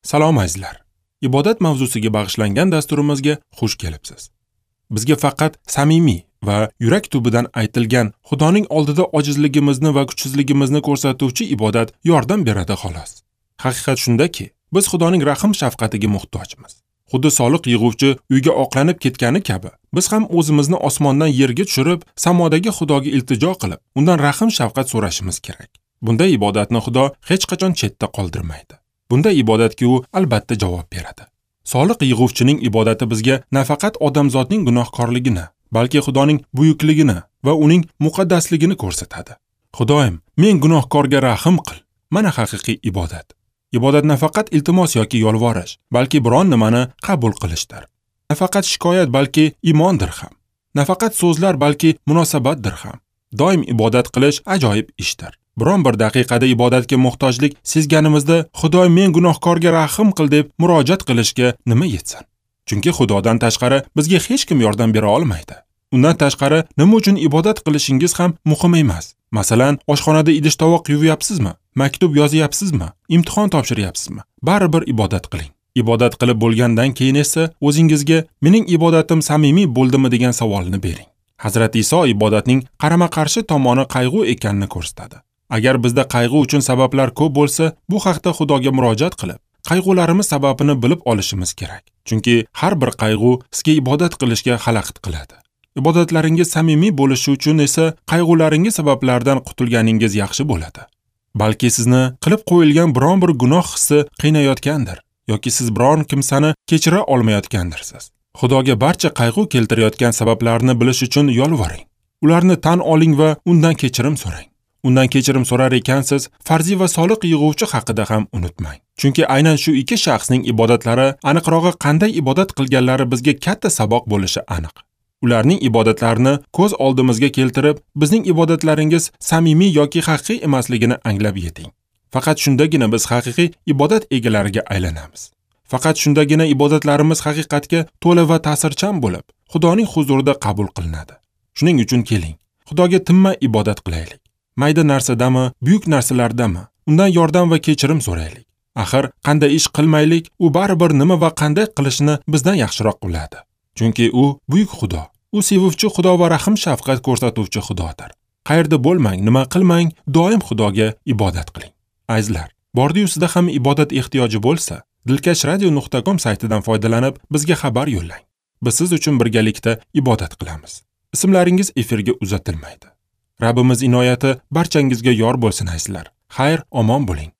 Salom azizlar. Ibodat mavzusiga bag'ishlangan dasturimizga xush kelibsiz. Bizga faqat samimiy va yurak tubidan aytilgan Xudoning oldida ojizligimizni va kuchsizligimizni ko'rsatuvchi ibodat yordam beradi xolos. Haqiqat shundaki, biz Xudoning rahm shafqatiga muhtojmiz. Xuddi soliq yig'uvchi uyga oqlanib ketgani kabi, biz ham o'zimizni osmondan yerga tushirib, samodagi Xudoga iltijo qilib, undan rahm shafqat so'rashimiz kerak. Bunday ibodatni Xudo hech qachon chetda qoldirmaydi. Bunday ibodatga u albatta javob beradi. Soliq yig'uvchining ibodati bizga nafaqat odamzodning gunohkorligini, balki Xudoning buyukligini va uning muqaddasligini ko'rsatadi. Xudoyim, men gunohkorga rahm qil. Mana haqiqiy ibodat. Ibodat nafaqat iltimos yoki yolvorish, balki biron nimani qabul qilishdir. Nafaqat shikoyat, balki iymondir ham. Nafaqat so'zlar, balki munosabatdir ham. Doim ibodat qilish ajoyib ishdir. Biron bir daqiqada ibodatga muhtojlik sezganimizda Xudoy men gunohkorga rahm qil deb murojaat qilishga nima yetsin? Chunki Xudodan tashqari bizga hech kim yordam bera olmaydi. Undan tashqari nima uchun ibodat qilishingiz ham muhim emas. Masalan, oshxonada idish tovoq yuvayapsizmi, maktub yozyapsizmi, imtihon topshiryapsizmi? Baribir ibodat qiling. Ibodat qilib bo'lgandan keyin esa o'zingizga mening ibodatim samimiy bo'ldimi degan savolni bering. Hazrat Iso ibodatning qarama-qarshi tomoni qayg'u ekanini ko'rsatadi. Agar bizda qayg'u uchun sabablar ko'p bo'lsa, bu haqda Xudoga murojaat qilib, qayg'ularimiz sababini bilib olishimiz kerak. Chunki har bir qayg'u sizga ibodat qilishga xalaqit qiladi. Ibodatlaringiz samimiy bo'lishi uchun esa qayg'ularingiz sabablaridan qutulganingiz yaxshi bo'ladi. Balki sizni qilib qo'yilgan biron bir gunoh hissi qiynayotgandir yoki siz biron kimsani kechira olmayotgandirsiz. Xudoga barcha qayg'u keltirayotgan sabablarni bilish uchun yolvoring. Ularni tan oling va undan kechirim so'rang. Undan kechirim so'rar ekansiz, farzi va soliq yig'uvchi haqida ham unutmang. Chunki aynan shu ikki shaxsning ibodatlari, aniqrog'i qanday ibodat qilganlari bizga katta saboq bo'lishi aniq. Ularning ibodatlarini ko'z oldimizga keltirib, bizning ibodatlaringiz samimiy yoki haqiqiy emasligini anglab yeting. Faqat shundagina biz haqiqiy ibodat egalariga aylanamiz. Faqat shundagina ibodatlarimiz haqiqatga to'la va ta'sirchan bo'lib, Xudoning huzurida qabul qilinadi. Shuning uchun keling, Xudoga tinmay ibodat qilaylik. Mayda narsadami, buyuk narsalardami, undan yordam va kechirim so'raylik. Axir qanday ish qilmaylik, u baribir nima va qanday qilishini bizdan yaxshiroq biladi. Chunki u buyuk Xudo, u sevuvchi Xudo va rahm shafqat ko'rsatuvchi Xudodir. Qayerda bo'lmang, nima qilmang, doim Xudoga ibodat qiling. Azizlar, bordi-yu sizda ham ibodat ehtiyoji bo'lsa, dilkashradio.com saytidan foydalanib bizga xabar yo'llang. Biz siz uchun birgalikda ibodat qilamiz. Ismlaringiz efirga uzatilmaydi. Rabbimiz inoyati barchangizga yor bo'lsin azizlar. Xayr, omon bo'ling.